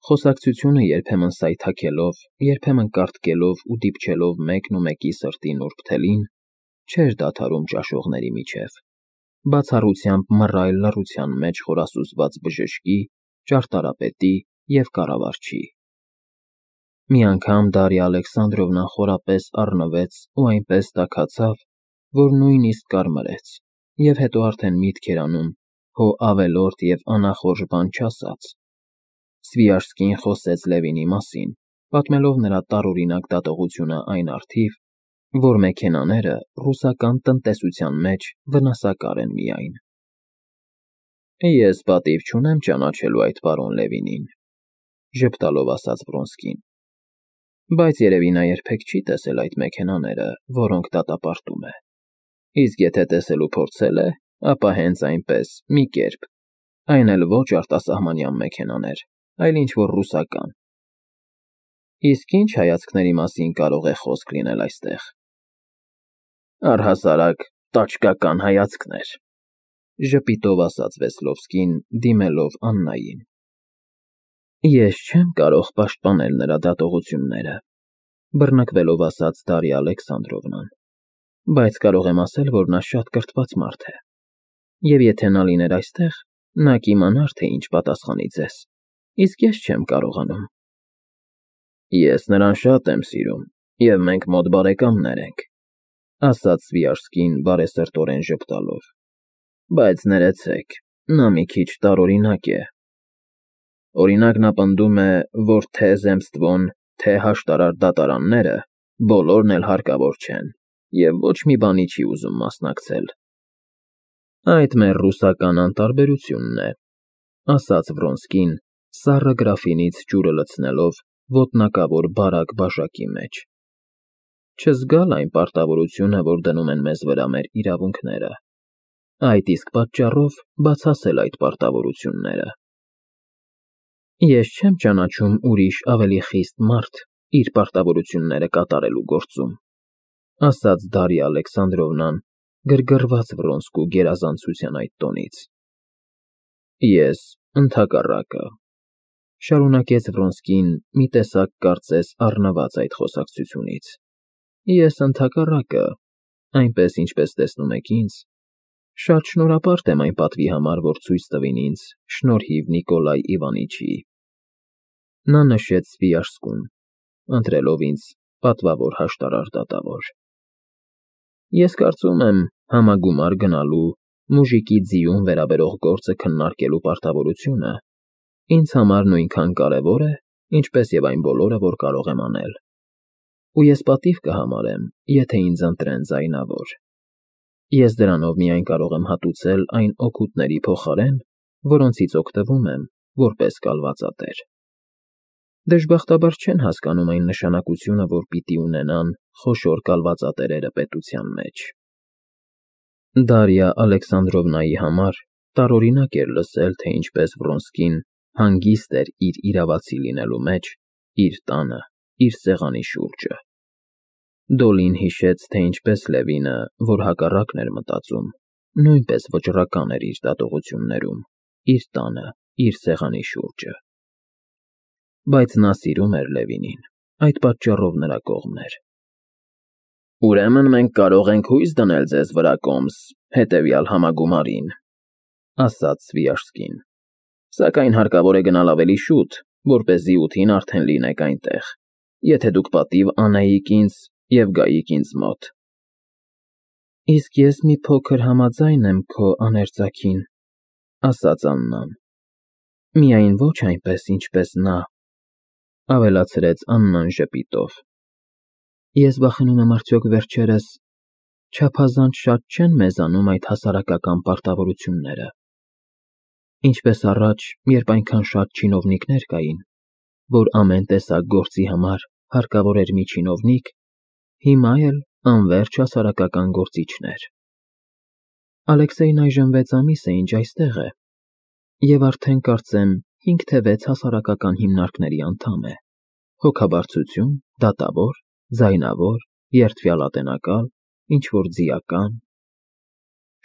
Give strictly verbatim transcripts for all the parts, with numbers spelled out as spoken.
Խոսակցությունը երբեմն սայթաքելով, երբեմն կարտկելով ու դիպչելով մեկն ու մեկի սրտի նուրբ թելին, չէր դադարում ճաշողների միջև, բացառությամբ մռայլ լռության մեջ խորասուզված բժշկի, ճարտարապետի և կառավարչի։ Մի անգամ Դարիա Ալեքսանդրովնան խորապես առնվեց ու այնպես տաքացավ, որ նույնիսկ կարմրեց, և հետո արդեն միտք էր անում, հո ավելորդ և անախորժ բան չասած։ Սվիաժսկին խոսեց Լևինի մասին, պատմելով նրա տարօրինակ դատողությունը այն առթիվ, որ մեքենաները ռուսական տնտեսության մեջ վնասակար են միայն։ Ես պատիվ չունեմ ճանաչելու այդ պարոն Լևինին, ժպտալով ասաց Վրոնսկին, բայց երևի նա երբեք չի տեսել այդ մեքենաները, որոնք դատապարտում է, իսկ եթե տեսելու փորձել է, ապա հենց այնպես, մի կերպ, այն էլ ոչ արտասահմանյան մեքենաներ, այլ ինչ֊որ ռուսական։ Իսկ ի՞նչ հայացքների մասին կարող է խոսք լինել այստեղ։ Առհասարակ տաճկական հայացքներ, ժպիտով ասաց Վեսլովսկին, դիմելով Աննային։ Ես չեմ կարող պաշտպանել նրա դատողությունները, բռնկվելով ասաց Դարիա Ալեքսանդրովնան, բայց կարող եմ ասել, որ նա շատ կրթված մարդ է, և եթե նա լիներ այստեղ, նա կիմանար, թե ինչ պատասխանի ձեզ, իսկ ես չեմ կարողանում։ Ես նրան շատ եմ սիրում, և մենք մոտ բարեկամներ ենք, ասաց Սվիաժսկին բարեսրտորեն ժպտալով, բայց ներեցեք, նա մի քիչ տարօրինակ է։ Օրինակ, նա պնդում է, որ թե՛ Zemstvon, թե՛ հաշտարար դատարանները բոլորն էլ հարկավոր չեն և ոչ մի բանի չի ուզում մասնակցել։ Այդ մեր ռուսական անտարբերությունն է, ասաց Վրոնսկին, սառը գրաֆինից ջուրը լցնելով ոտնակավոր բարակ բաժակի մեջ։ Չզգալ այն պարտավորությունը, որ դնում են մեզ վրա մեր իրավունքները, այդ իսկ պատճառով բացասել այդ պարտավորությունները։ Ես չեմ ճանաչում ուրիշ ավելի խիստ մարդ իր պարտավորությունները կատարելու գործում, ասաց Դարիա Ալեքսանդրովնան, գրգռված Վրոնսկու գերազանցության այդ տոնից։ Ես ընդհակառակը, շարունակեց Վրոնսկին, մի տեսակ կարծես առնված այդ խոսակցությունից, ես ընդհակառակը, այնպես ինչպես տեսնում եք ինձ, շատ շնորհապարտ եմ այն պատվի համար, որ ցույց տվին ինձ շնորհիվ Նիկոլայ Իվանիչի։ Նա նշեց Սվիաժսկուն, ընտրելով ինձ պատվավոր հաշտարար դատավոր։ Ես կարծում եմ, համագումար գնալու, մուժիկի ձիուն վերաբերող գործը քննարկելու պարտավորությունը ինձ համար նույնքան կարևոր է, ինչպես և այն բոլորը, որ կարող եմ անել, ու ես պատիվ կհամարեմ, եթե ինձ ընտրեն ձայնավոր։ Ես դրանով միայն կարող եմ հատուցել այն օգուտների փոխարեն, որոնցից օգտվում եմ, որպես կալվածատեր։ Դժբախտաբար չեն հասկանում այն նշանակությունը, որ պիտի ունենան խոշոր կալվածատերերը պետության մեջ։ Դարիա Ալեքսանդրովնայի համար տարօրինակ էր լսել, թե ինչպես Վրոնսկին հանգիստ էր իր իրավացի լինելու մեջ, իր տանը, իր սեղանի շուրջը։ Դոլին հիշեց, թե ինչպես Լևինը, որ հակառակն էր մտածում, նույնպես վճռական էր իր դատողություններում, իր տանը, իր սեղանի շուրջը։ Բայց նա սիրում էր Լևինին, այդ պատճառով նրա կողմն էր։ Ուրեմն մենք կարող ենք հույս դնել ձեզ վրա, կոմս, հետևյալ համագումարին, ասաց Սվիաժսկին, սակայն հարկավոր է գնալ ավելի շուտ, որպեսզի ութին արդեն լինեք այնտեղ, եթե դուք պատիվ անեիք ինձ և գայիք ինձ մոտ։ Իսկ ես մի փոքր համաձայն եմ քո աներձակին, ասաց Աննան, միայն ոչ այնպես, ինչպես նա, ավելացրեց Աննան ժպիտով։ Ես վախենում եմ, արդյոք վերջերս չափազանց շատ չեն մեզանում այդ հասարակական պարտավորությունները։ Ինչպես առաջ, երբ այնքան շատ չինովնիկներ կային, որ ամեն տեսակ գործի համար հարկավոր էր մի չինովնիկ, հիմա էլ անվերջ հասարակական գործիչներ։ Ալեքսեյն այժմ վեց ամիս է, ինչ այստեղ է, և արդեն կարծեմ հինգ թե վեց հասարակական հիմնարկների անդամ է, հոգաբարձություն, դատավոր, ձայնավոր, երդվյալատենակալ, ինչ֊որ ձիական։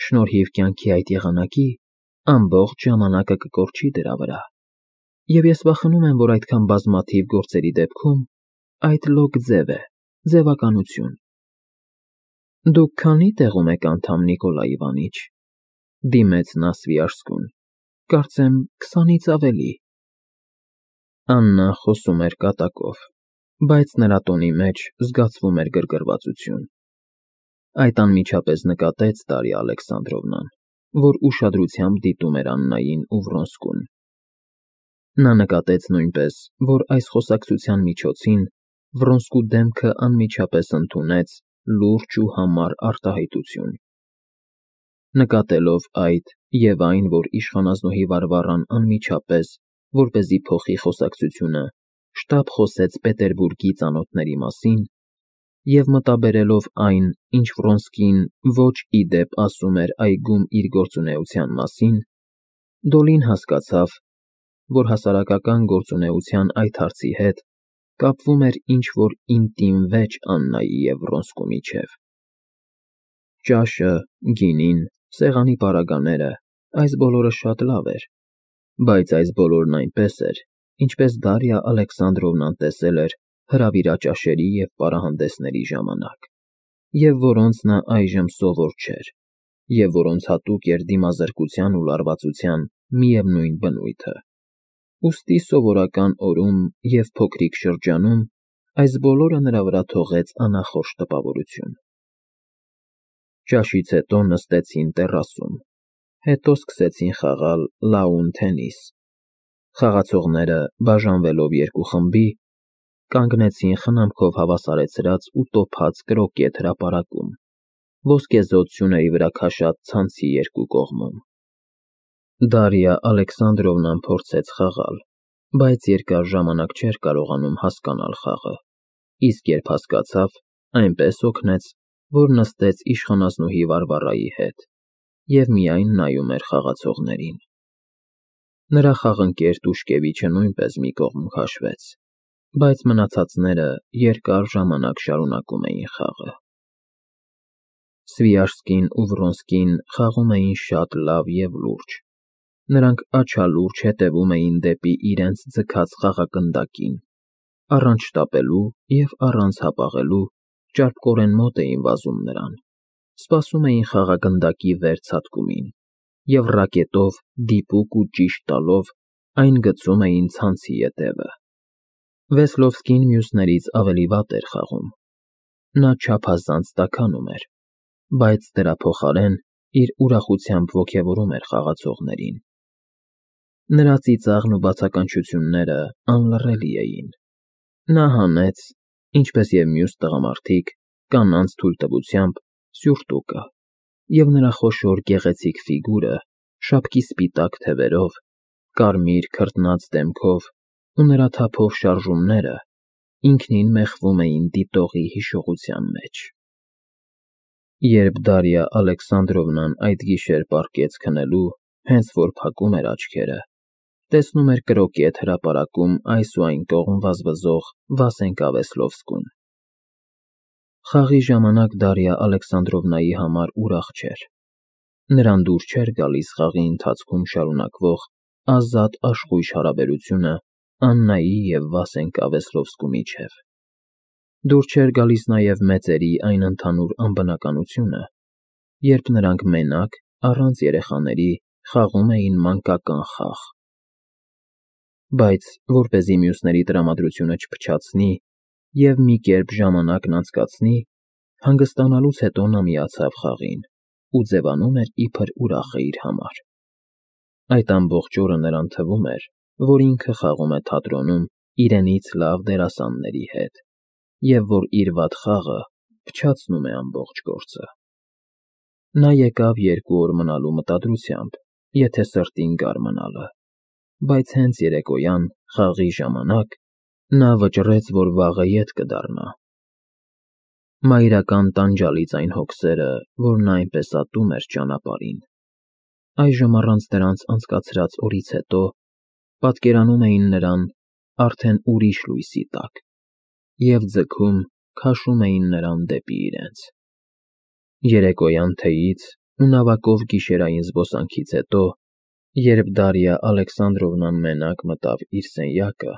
Շնորհիվ կյանքի այդ եղանակի ամբողջ ժամանակը կկորչի դրա վրա։ Եվ ես վախենում եմ, որ այդքան բազմաթիվ գործերի դեպքում այդ լոկ ձև է, ձևականություն։ Դուք քանի տեղում եք անդամ, Նիկոլայ Իվանիչ, դիմեց նա Սվիաշսկուն, կարծեմ քսանից ավելի։ Աննան խոսում էր կատակով, բայց նրա տոնի մեջ զգացվում էր գրգռվածություն։ Այդ անմիջապես նկատեց Դարիա Ալեքսանդրովնան, որ ուշադրությամբ դիտում էր Աննային ու Վրոնսկուն։ Նա նկատեց նույնպես, որ այս խոսակցության միջոցին Վրոնսկու դեմքը անմիջապես ընդունեց լուրջ ու համառ արտահայտություն։ Նկատելով այդ և այն, որ իշխանազնուհի Վարվառան անմիջապես, որպեսզի փոխի խոսակցությունը, շտապ խոսեց Պետերբուրգի ծանոթների մասին, և մտաբերելով այն, ինչ Վրոնսկին ոչ ի դեպ ասում էր այգում իր գործունեության մասին, Դոլին հասկացավ, որ հասարակական գործունեության այդ հարցի հետ կապվում էր ինչ-որ ինտիմ վեճ Աննայի և Վրոնսկու միջև։ Ճաշը, գինին, սեղանի պարագաները, այս բոլորը շատ լավ էր, բայց այս բոլորն այնպես էր, ինչպես Դարիա Ալեքսանդրովնան տեսել էր հրավիրաճաշերի և պարահանդեսների ժամանակ, և որոնց նա այժմ սովոր չէր, և որոնց հատուկ էր դիմազրկության ու լարվածության միևնույն բնույթը։ Ուստի սովորական օրում և փոքրիկ շրջանում այս բոլորը նրա վրա թողեց անախորժ տպավորություն։ Ճաշից հետո նստեցին տեռասում, հետո սկսեցին խաղալ լաուն թենիս։ Խաղացողները, բաժանվելով երկու խմբի, կանգնեցին խնամքով հավասարեցրած ու տոփած կրոկետ հրապարակում, ոսկեզօծ սյուների վրա քաշած ցանցի երկու կողմում։ Դարիա Ալեքսանդրովնան փորձեց խաղալ, բայց երկար ժամանակ չէր կարողանում հասկանալ խաղը, իսկ երբ հասկացավ, այնպես հոգնեց, որ նստեց իշխանազնուհի Վարվառայի հետ և միայն նայում էր խաղացողներին։ Նրա խաղընկեր Տուշկևիչը նույնպես մի կողմ քաշվեց, բայց մնացածները երկար ժամանակ շարունակում էին խաղը։ Սվիաշսկին ու Վրոնսկին խաղում էին շատ լավ և լուրջ։ Նրանք աչալուրջ հետևում էին դեպի իրենց ձգած խաղագնդակին, առանց շտապելու և առանց հապաղելու ճարպկորեն մոտ էին վազում նրան, սպասում էին խաղագնդակի վերցատկումին և ռակետով դիպուկ ու ճիշտ տալով այն գցում էին ցանցի ետևը։ Վեսլովսկին մյուսներից ավելի վատ էր խաղում։ Նա չափազանց տաքանում էր, բայց դրա փոխարեն իր ուրախությամբ ոգևորում էր խաղացողներին։ Նրա ծիծաղն ու բացականչությունները անլռելի էին։ Նա հանեց, ինչպես և մյուս տղամարդիկ, կանանց թույլտվությամբ սյուրտուկը, և նրա խոշոր գեղեցիկ ֆիգուրը, շապկի սպիտակ թևերով, կարմիր քրտնած դեմքով ու նրա թափով շարժումները ինքնին մեխվում էին դիտողի հիշողության մեջ։ Երբ Դարիա Ալեքսանդրովնան այդ գիշեր պառկեց քնելու, հենց որ փակում էր աչքերը, տեսնում էր կրոկետ հրապարակում այս ու այն կողմ վազվզող Վասենկա Վեսլովսկուն։ Խաղի ժամանակ Դարիա Ալեքսանդրովնայի համար ուրախ չէր։ Նրան դուր չէր գալիս խաղի ընթացքում շարունակվող ազատ աշխույժ հարաբերությունը Աննայի և Վասենկա Վեսլովսկու միջև։ Դուր չէր գալիս նաև մեծերի այն ընդհանուր անբնականությունը, երբ նրանք մենակ, առանց երեխաների, խաղում էին մանկական խաղ։ Բայց որպեսզի մյուսների տրամադրությունը չփչացնի և մի կերպ ժամանակն անցկացնի, հանգստանալուց հետո նա միացավ խաղին ու ձևանում էր իբր ուրախ է իր համար։ Այդ ամբողջ օրը նրան թվում էր, որ ինքը խաղում է թատրոնում իրենից լավ դերասանների հետ, և որ իր վատ խաղը փչացնում է ամբողջ գործը։ Նա եկավ երկու օր մնալու մտադրությամբ, եթե սրտին գար մնալը, բայց հենց երեկոյան, խաղի ժամանակ, նա վճռեց, որ վաղը ետ կդառնա։ Մայրական տանջալից այն հոգսերը, որ նա այնպես ատում էր ճանապարհին, այժմ առանց դրանց անցկացրած օրից հետո պատկերանում էին նրան արդեն ուրիշ լույսի տակ և ձգում, քաշում էին նրան դեպի իրենց։ Երեկոյան թեյից ու նավակով գիշերային զբոսանքից հետո Երբ Դարիա Ալեքսանդրովնան մենակ մտավ իր սենյակը,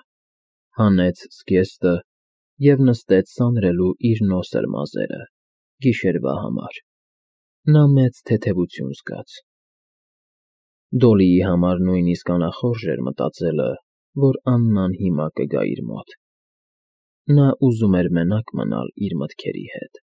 հանեց զգեստը և նստեց սանրելու իր նոսր մազերը գիշերվա համար, նա մեծ թեթևություն զգաց. Դոլիի համար նույնիսկ անախորժ էր մտածելը, որ Աննան հիմա կգա իր մոտ, նա ուզում էր մենակ մնալ իր մտքերի հետ։